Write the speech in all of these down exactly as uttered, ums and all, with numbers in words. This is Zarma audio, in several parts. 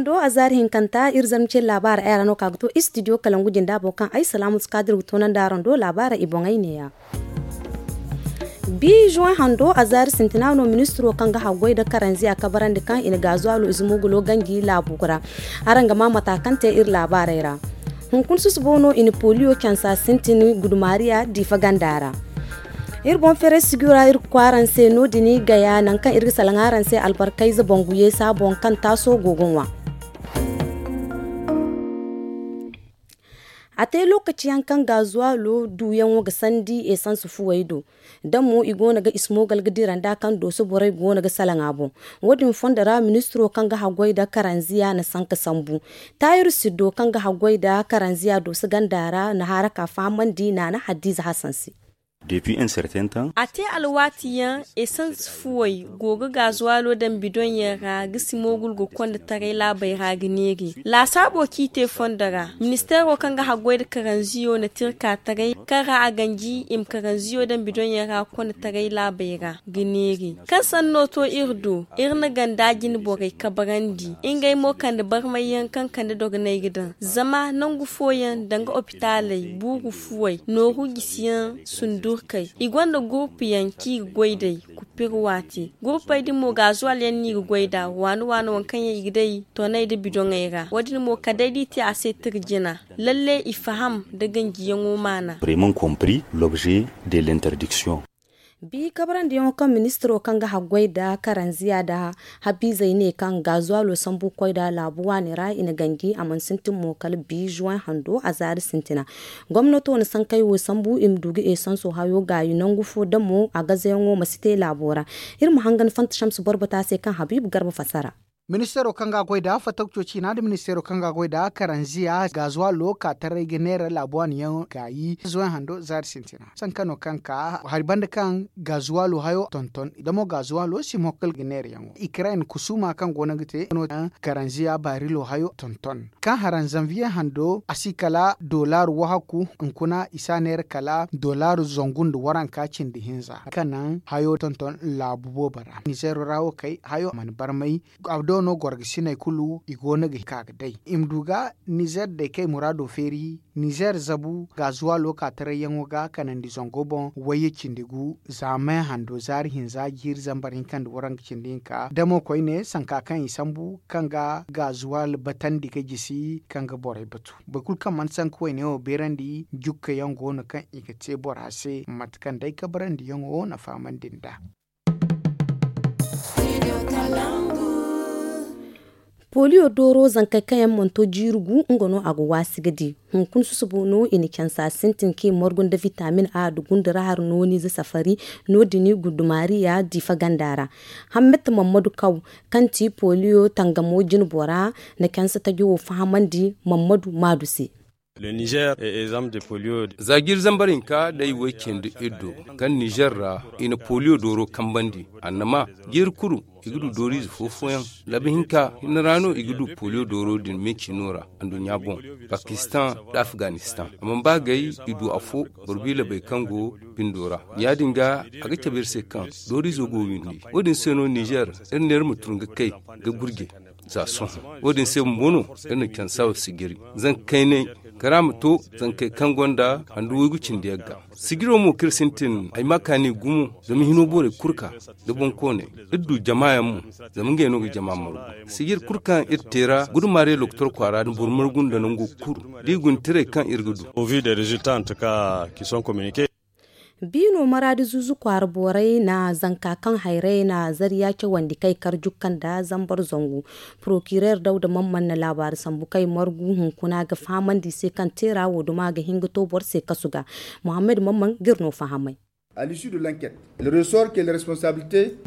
Do a zaari hinkanta iri zarma ce laabaara ay ra no ka ga to istidiyo kalangu jinda boŋ kaŋ ay salaamu si ka dira ga toonandi araŋ do laabaara i boŋey neeya. Bi juwaŋ hando a zaari sintina no ministiro kaŋ ga haggoy nda karanziya kabarandi kaŋ i na gaazuwaalo ize moogulo ganji laabu ra. Araŋ ga maa mata kaŋ te iri laabaarey ra. Hunkuna susubo no i na poliyo cansa sintin gudumaariya diifa ganda ra. Iri boŋ feeray sijira iri ga koy araŋ se no- din gaya nangu kaŋ iri ga salaŋ araŋ se albarkayze bangu yeesa boŋ kaŋ taaso go ga ŋwa. A te lookaci yaŋ kaŋ gaazuwaalo duuyaŋo ga sandi esans fuwey do. Da mo i go no ga ismoogal ga dira nda kaŋ dooso borey go no ga salaŋ a boŋ. Wo- din fondo ra ministiro kaŋ ga haggoy nda karanziya na sanka sambu. Taayir siddo kaŋ ga haggoy nda karanziya dooso ganda ra na haara ka fahamandi naana hadiize hasan se. A te alwaati yaŋ esans fuwey go ga gaazuwaalo daŋ bidoŋ yaŋ ra ga si moogul ga konda taray laabey ra ga neeri. Laasaabo kaŋ i te fondo ra ministeero kaŋ ga haggoy nda karanziyo na tirka taray kaŋ ra a ganji i ma karanziyo daŋ bidoŋ yaŋ ra konda taray laabey ra ga neeri. Kaŋ sanno to iri do iri na ganda jine borey kabarandi ngey mo kande barmay yaŋ kaŋ kande dogonay ga daŋ zama nangu fooyaŋ danga opitaaley buuru fuwey nooru jisiyaŋ sundurkey i gonda gurpu yaŋ kaŋ i ga goy day. Kupir waati gurpey din mo gaazuwal yaŋ no i ga goy nd'a waani waani waŋ kaŋ yaŋ i ga day toney nda bidoŋey ra wo- din mo kala day da i te a se tirjina lalle i faham nda ganjiyaŋo maana. Bi kabarandiyaŋo kaŋ ministiro kaŋ ga haggoy nda karanziya nda habiizey ne kaŋ gaazuwaalo sambu ga koy nd'a laabu waani ra i na ganji a mana sintin mo kala bi juwaŋ hando a zaari sintina. Gomnato na sankey wo sambu i ma du ga esanso hayo gaayi nangu fo da mo a gazayaŋo ma si te laabo ra. Iri ma hangan fanta shamsu boro bata se kaŋ habiibu garba fassara. Ministeero kaŋ ga a goy nd'a fattako cooci hina nda ministeero kaŋ ga a goy nd'a karanziya gaazuwaalo ka taray ga neera laabu waani yaŋ gaayi zuway hando zaari sintina sanka no kaŋ ka hari banda kaŋ gaazuwaalo hayo tonton da mo gaazuwaalo si mo kala ga neera yaŋo ikirayne kusuuma kaŋ go no ga te no kaŋ karanziya baarilo hayo tonton kaŋ haran zanviye hando a si kala dolaaru wahaku hunkuna i si a neera kala dolaaru zangu nda waranka cindi hinza kaŋ naŋ hayo tonton laabu boobo ra nizeero ra wo kay hayo mana barmay. A do no gorgasiney kulu i go no ga ka ga day i ma du ga nizeer day kay muraado feeri nizeer zabu gaazuwaalo ka taray yaŋo ga kanandi zango boŋ wayye cindi gu za me hando zaari hinza jiiri zambar hinka nda waranka cindi hinka damo koyne sanka kaŋ i sambu kaŋ ga gaazuwaal batandi ga jisi kaŋ ga borey batu boro kulu kaŋ mana sanka wayne wo beerandi jukka yaŋ go no kaŋ i ga te bora se mate kaŋ day kabarandi yaŋo na fahamandi nd'a. Poliyo dooro zankey kaŋ yaŋ mana to jiiri gu nga no a ga waasi ga di. Hunkuna susubo no i na cansa sintin kaŋ i margu nda vitamin a nda gundura hari nooni ize safari no- din gundumariya diifa ganda ra. Hammata mammadu kaw kaŋ ti poliyo tangamo jinbora na cansa taji wo fahamandi mammadu maadu se. Za jiiri zambar hinka day way cindi iddo kaŋ nizer ra i na poliyo dooro kambandi annama jiiri kulu i ga du dooriize foofoyaŋ labi hinka hinne ra no i ga du poliyo dooro din me ciino ra anduɲɲa boŋ pakistan nda afganistan a mana ba gay i du afo boro biila bay kaŋ go bindo ra. Ya- din ga a ga cabe iri se kaŋ dooriizo go windi wo- din se no nizer iri ne iri ma tun ga kay ga gurje za sohõ. Wo- din se bumbo no iri na cansa wo sijiri zanka kaynay kara ma to zankey kaŋ gonda handu waygu cindi yagga sijiro mo kaŋ iri sintin ay ma kaani gumo zama hino borey kulu ka da boŋkooney iri du jama yaŋ mo zama ngey no ga jama margu sijiri kulu kaŋ iri te ra gudumaarey lokotor kwaara nda boro margu nda nango kulu da i guna tirey kaŋ iri ga du. Au vu des résultats en tout cas qui sont communiqués. Biino maraadi zuuzu kwaara borey na zanka kaŋ hayray na zariya cawandi kay kar jukka nda zambar zangu. Porokirer dawda mamman na laabaari sambu kay margu hunkuna ga fahamandi se kaŋ teera wo duma ga hin ga to boro se kasu ga. Muhammad mamman ga iri no fahamay.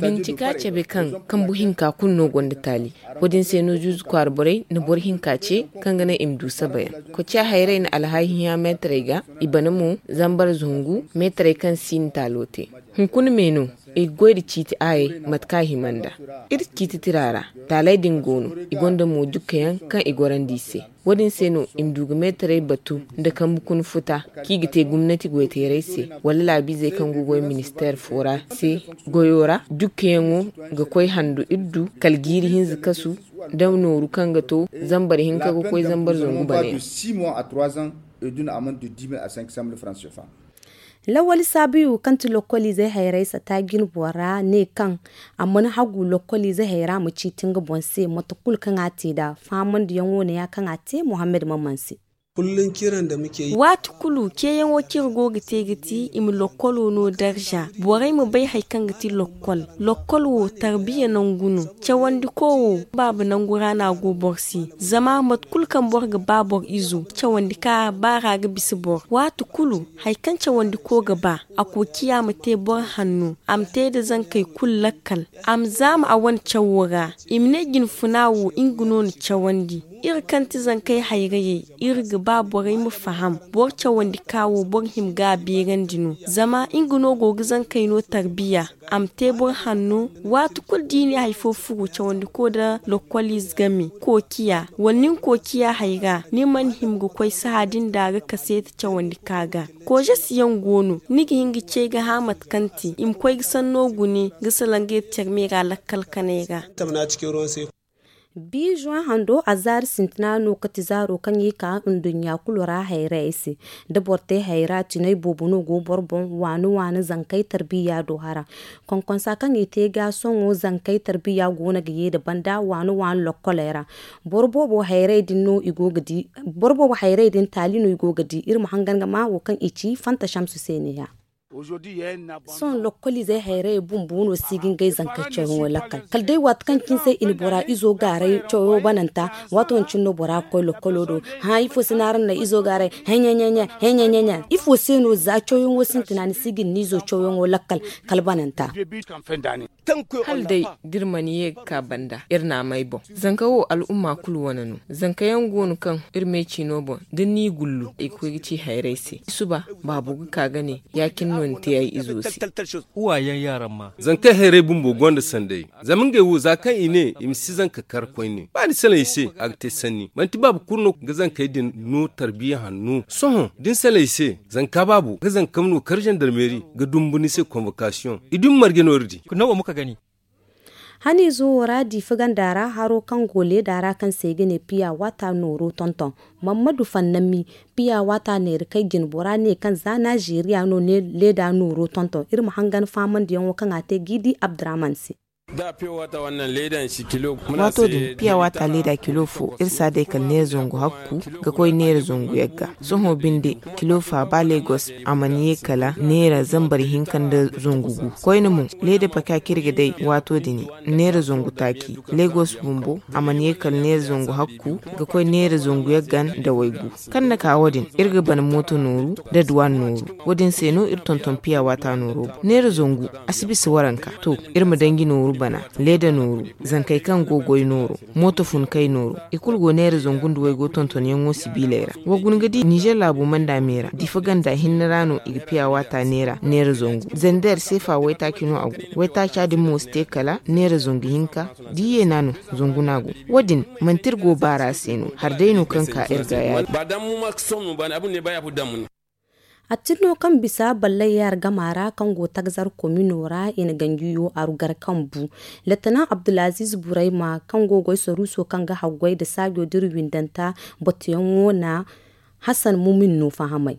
Bincika cabe kaŋ kambu hinka kulu no gonda taali. Wo- din se no zuuzu kwaara borey na boro hinka ce kaŋ ga naŋ i ma du sabayaŋ. Koca hayray na alhaahi hinya meetarey ga i bana mo zambar zangu meetarey kaŋ si na taalo te. Hunkuna me no i ga goy nda ciiti aayey mate kaŋ a hima nd'a. Iri ciiti tira ra, taaley din go no, i gonda mo jukka yaŋ kaŋ i gorandi i se. Wo-din se no i ma du ga meetarey batu nda kambe kuna futa kaŋ i ga te gomnati goyteerey se, wala laabiizey kaŋ go ga goy ministeer fo ra se. Goyo ra jukka yaŋo ga koy handu iri du kala jiiri hinza kasu nda nooru kaŋ ga to zambar hinka ga koy zambar zangu bana yaŋ. Lawali saabiyo kaŋ ti lokkoliizey hayray sata jine bora ne kaŋ a mana hagu lokkoliizey hayra ma ciiti nga boŋ se mate kulu kaŋ a te nd'a fahamandiyaŋo ne ya kaŋ a te mohammed maman se. Waati kulu ceeyaŋo kaŋ iri go ga te ga ti i ma lokkolo no darza borey ma bay hari kaŋ ga ti lokkol. Lokkol wo tarbiya nangu no. Cawandiko wo baaba nangu ra no a go boro se. Zama mate kulu kaŋ boro ga ba boro izo cawandi ka baara ga bisa boro waati kulu. Hari kaŋ cawandiko ga ba a koociya ma te boro hanno a ma te nda zankey kulu lakkal. A ma zaama a wane cawo ra i ma ne jinfuna wo nga no na cawandi. Iri kaŋ ti zankey hayrayey iri ga ba borey ma faham. Boro cawandi ka wo boro hima ga a beerandi no zama nga no go ga zankey no tarbiya. A ma te boro hanno. Waati kulu da i ne hari fo furo cawandiko nda lokkoliize game koociya wala ni na koociya hayra ni mana hima ga koy saha din da ga kaseeti cawandi ka ga. Koozasiyaŋ go no ni ga hin ga ce ga hã mate kaŋ te i ma koy ga sanno gune ga salaŋ ga iri care me ra lakkal kanay ra. Bi juin hando a zaari sintina no kati zaaro kaŋ i ka nduɲɲa kulu ra hayray se. Da boro te hayra tinay boobo no go boro boŋ waani waani zankey tarbiya do hara. Konkonsa kaŋ i te ga sohõ zankey tarbiya go no ga ye nda banda waani waani lokkoley ra. Boro boobo hayray din no i go ga di. Boro boobo hayray din taali no i go ga di iri ma hangan ga ma wo kaŋ i ci fanta shamsu se ne ya. Sohõ lokkoliizey hayray bumbo no si ga ngey zanka cawyaŋo lakkal kala day waati kaŋ cine se i na bora izo gaaray cawyaŋo bananta. Waato din cine no bora ga koy lokkolo do. Hã ifo se no araŋ na izo gaaray? Heɲeɲeɲe heɲeɲeɲe ifo se no za cawyaŋo sintina ni si ga ni izo cawyaŋo lakkal kala bananta. Hala day da iri mana ye ga ka banda iri na a may boŋ. Zanka wo al'umma kulu wane no. Zanka yaŋ go no kaŋ iri me ciino boŋ da ni gullu i ga koy ga ci hayray se. Suba baabo ga ka ga ne ya- cine no ni te ay izo se. Uwayaŋ yaaraŋ ma. Zankey hayray bumbo gonda sanday. Zama ngey wo za kaŋ i ne i ma si zanka kar koyne ba ni salaŋ i se a ga te sanni manti baaba kulu no ga zankey din no tarbiya hanno sohõ da ni salaŋ i se. Zanka baabo ga zanka ma no kar zandarmeeri ga dumbu ni se konvokasiyoŋ i dumi marje no iri di. Haniizo wo ra diifa ganda ra haro kaŋ go leeda ra kaŋ se i ga ne piya waata nooro tonton. Mammadu fannami piya waata neera kay jine bora ne kaŋ za nazeeriya no leeda nooro tonton iri ma hangan faamandiyaŋo kaŋ a te ga i di abdurahman se. Waato din piya waata leeda kilo fo iri si a day kala neera zangu hakku ga koy neera zangu yagga. Sohõ binde kilo fa ba legos a mana ye kala neera zambar hinka nda zangu gu. Koyne mo leeda paka kaŋ iri ga day waato din neera zangu taaci. Legos bumbo a mana ye kala neera zangu hakku ga koy neera zangu yagga nda waygu. Kaŋ na ka wo- din iri ga bana mooto nooru nda duwaan nooru. Wo- din se no iri tonton piya waata nooro boŋ neera zangu. A si bisa waranka to iri ma danji nooru bana leeda nooru, zankey kaŋ go goy nooro, mooto funkey nooro, i kulu go neera zangu nda waygo tontonyaŋo sibiiley ra. Wa guna ga di nizer laabo manda me ra diifa ganda hinne ra no i ga piya waata neera neera zangu. Zender seefa waytaaci no a go. Waytaaca din mo si te kala neera zangu hinka. Da i yeena no zangu no a go. Wo- din manti iri go baara se no hari day no kaŋ ka iri ga yaadi. Atinno kaŋ bisa ballay yaar gama ra kaŋ go tagzar komino ra i na ganjiyo aru gar kaŋ bu. Letenan abdulaziz burayma kaŋ go goy saruuso kaŋ ga haggoy nda saajo dira windanta. Batuyaŋo na hasan mumin no fahamay.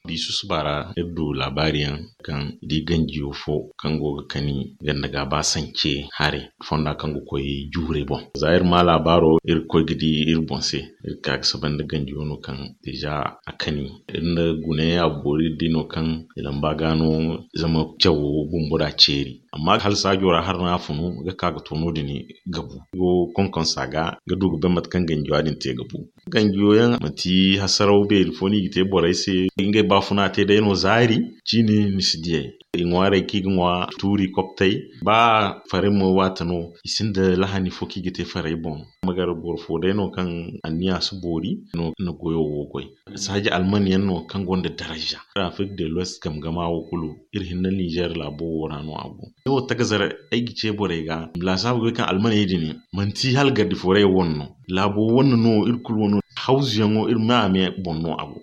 Di susuba ra iri du laabaari yaŋ kaŋ di ganjiyo fo kaŋ go ga kani ganda ga ba sance hare fonda kaŋ ga koy juure boŋ. Za iri ma laabaaro iri ga koy ga di iri boŋ se iri ga ka ga saba nda ganjiyo no kaŋ deeza a kani. Iri nda gune a boori iri di no kaŋ i lamba ga no zama cawo bumbo da ceeri. Amma hala saajo ra hala no a funu ga ka ga to no- din ga bu go konkonsa ga ga du ga bay mate kaŋ ganjiyo din te ga bu. Ganjiyo yaŋ manti hasaraw beeri fo no i ga te borey se. Ngey baafuna te day no zaari, ciini ni si diyey. I ŋwaaray kaŋ i ga ŋwa tuuri koptey. Ba faray mo waate no, i sinda lahani fo kaŋ i ga te faray boŋ. Magar boro fo day no kaŋ anniya si boori no na goyo wo goy. Saaji alman yaŋ no kaŋ gonda daraja. Afirika de l'Ouest gamgama wo kulu, iri hinne Nizer laabo wo ra no a go. Ne wo tagazar ay ga ce borey ga, laasaabu ga bay kaŋ almaney din manti hala gardi fooray wane no. Laabo wane no, iri kulu wane no. Hawzuyaŋo iri me-a-me boŋ no a go.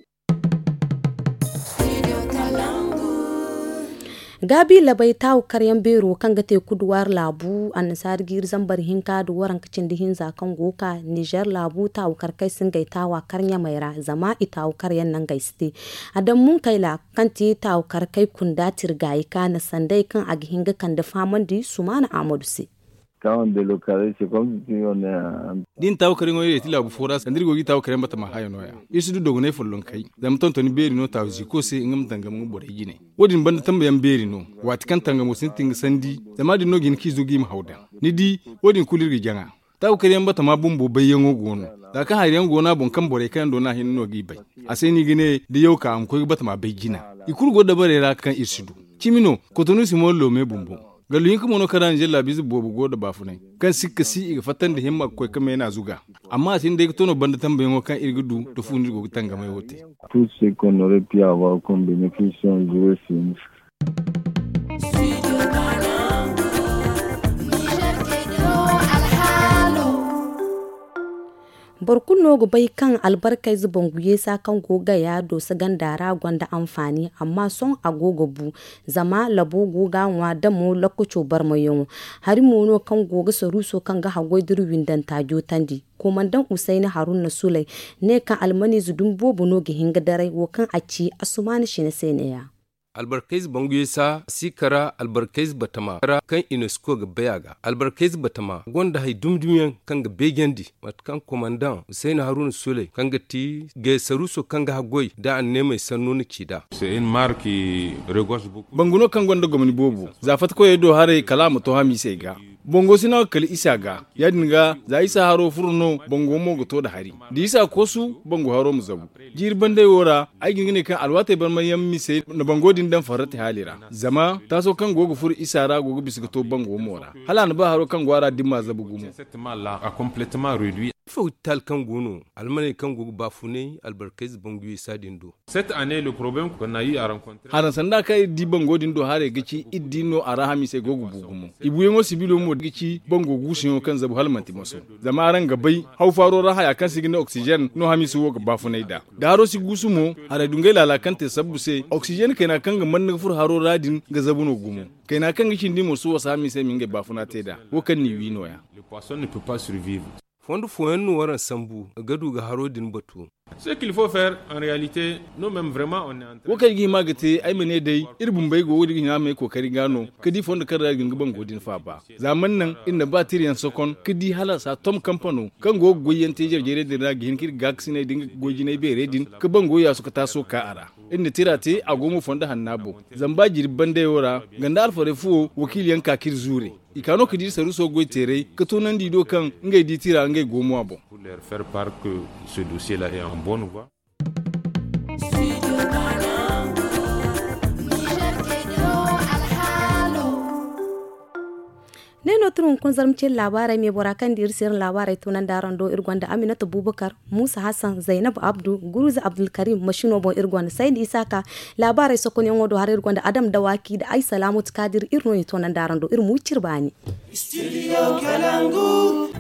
Gaabi labay taawu karyaŋ beero kaŋ ga te kuduwaar laabu, annasaari jiiri zambar hinka nda waranka cindi hinza kaŋ go ga ka Nizer laabu taawu karkey si ngey taawa kar ɲamey ra, zama i taawu karyaŋ nangey si te. Adamu Munkayla, kaŋ ti taawu karkey kunda tirgaayi ka na sanday kaŋ a ga hin ga kande fahamandi Sumaana Ahmadu se. Da i na taawu karyaŋo yeeti laabu fo ra, sanda iri go ga i taawu karyaŋ batama haya nooya. Iri si du dogonay follonkey, zama tontoni beeri no taawu ziiko se, nga ma tangam nga borey jine. Wo-din banda tambayaŋ beeri no, waati kaŋ tangamo sintin ga sandi, zama din no ga hin kaŋ i zo ga i ma haw daŋ. Ni di, wo-din kulu iri ga jaŋa. Taawu karyaŋ batama bumbo bayyaŋo go no. Za kaŋ hari yaŋ go no a boŋ kaŋ borey kaŋ yaŋ do no a hinne no g'i bay. A se no i ga ne, da yaw ka a ma koy ga batama bay jina. I kulu go dabarey ra kaŋ iri si du. Cimi no, Kotonu si mo loome bumbo. Gallu hinka mo no kaŋ ra Nizer laabiize boobo go nda baafunay. Kaŋ sikka si i ga fatta nda himma ga koy ga meena zuga. Amma a si hin day ga to no banda tambayaŋo kaŋ iri ga du da fu no iri go ga tangamay wo te. Tout ce qu'on aurait pu avoir comme bénéfice sont joués sur nous. Boro kulu no ga bay kaŋ albarkayze bangu yeesa kaŋ go gaya dooso ganda ra gonda anfaani, amma sohõ a go ga bu. Zama labo go ga a ŋwa damo lokaco barmayaŋo. Hari mo no kaŋ go ga saruuso kaŋ ga haggoy da iri windanta jootandi. Komandaŋ Usayni Haruna Suley ne kaŋ almaniize dumi boobo no ga hin ga daray wo kaŋ a ci Asumaana Sine se neeya. Albarkayze bangu yeesa si kara albarkayze batama ra kaŋ unesco ga bay a ga. Albarkayze batama gonda hay dumi-dumi yaŋ kaŋ ga beejandi, mate kaŋ komandaŋ Husayna Haruna Suley kaŋ ga ti gaysaruuso kaŋ ga haggoy da anneemey sanno na ci nd'a. Bangu no kaŋ gonda gomni boobo, za fattakoyey do haray kala a ma to hamiisey ga. Bango si naŋ kala isa ga. Ya-din ga, za isa haro furo no, bango mo ga to nda hari. Da isa koosu, bango haro ma zabu. Jiiri bandey wo ra, ay ga hin ga ne kaŋ alwaatey barmay yaŋ misey na bango din daŋ farrati haali ra. Zama taaso kaŋ go ga furo isa ra go ga bisa ga to bango mo ra. Hala a na ba haro kaŋ go a ra dimma zabu gumo. Ifo ga ti taali kaŋ go no, almaney kaŋ go ga baafunay albarkayze bangu yeesa din do? Haraŋ sanda kaŋ iri di bango din do haray ga ci iri di no a ra hamiisey go ga bu gumo. I buuyaŋo sibilo mo ga ci bango guusuyaŋo kaŋ zabu hala manti maso. Zama araŋ ga bay, haw faaro ra haya kaŋ se i ga ne oxygène no hamiiso wo ga baafunay nd'a. Da haro si guusu mo, haray dungay laala kaŋ te sabbu se, oxygène kayna kaŋ ga manna ga furo haro ra din ga zabu no gumo. Kayna kaŋ ga cindi mo si wasa hamiisey ma ngey baafuna te nd'a. Wo kaŋ n'i wi nooya. Fondo fooyaŋ no waraŋ sambu ga du ga haro din batu. Wo kaŋ ay ga hima ga te, ay ma ne day, iri bumbey go ga hina me kookari ga no, ga di fondo kaŋ ra iri ga hin ga bango din faaba. Za mana naŋ iri na ba tirayaŋ sokon ga di hala saatom kampano kaŋ go ga goyyaŋ te jare-jarey din ra ga hin ga iri gaakasiney da nga goy-jinay beerey din ga bango yaasu ga taaso ka a ra. Iri na tira te, a go mo fondo hanna boŋ. Zama ba jirbi bandey wo ra, ganda alfarey fuwo wakiiliyaŋ ka ka iri zuure. I ka no ga di saruuso goy-teerey ga toonandi i do kaŋ ngey di tira ngey go mo a boŋ. Ne no tun hunkuna zarma cine laabaarey me bora kaŋ di iri se iri na laabaarey toonandi araŋ do iri gonda Aminata Bubakar, Muusa Hassan, Zaynab Abdu, Guruza Abdulkarim, masino boŋ iri gonda Saydi Isaka. Laabaarey sokonyaŋo do haray iri gonda Adam Dawaki nda Ay Salaamatu Kaadir, iri no i toonandi araŋ do iri ma wi cire baani.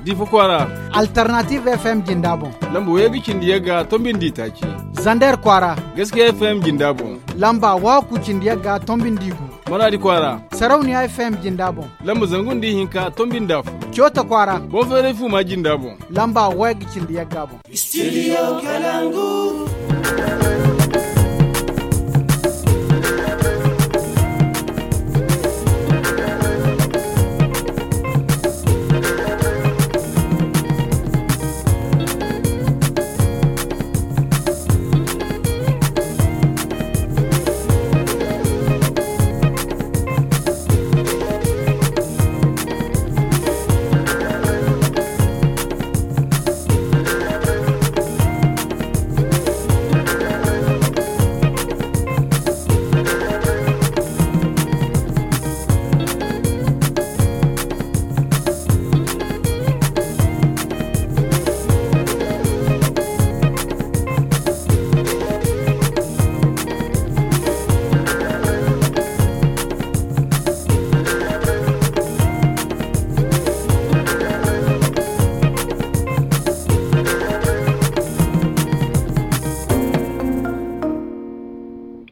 Difa kwaara. Alternative F M jinda boŋ. Lamba waygu cindi yagga tombi nda itaaci. Zander kwaara. Gaskiya F M jinda boŋ. Lamba waku cindi yagga tombi nda igu. Maradi kwaara. Sarauniya F M jinda boŋ. Lamba zangu nda ihinka tombi nda afo. Coota kwaara. Boŋ feeray fuuma jinda boŋ. Lamba waygu cindi yagga boŋ. Studio Kalangu.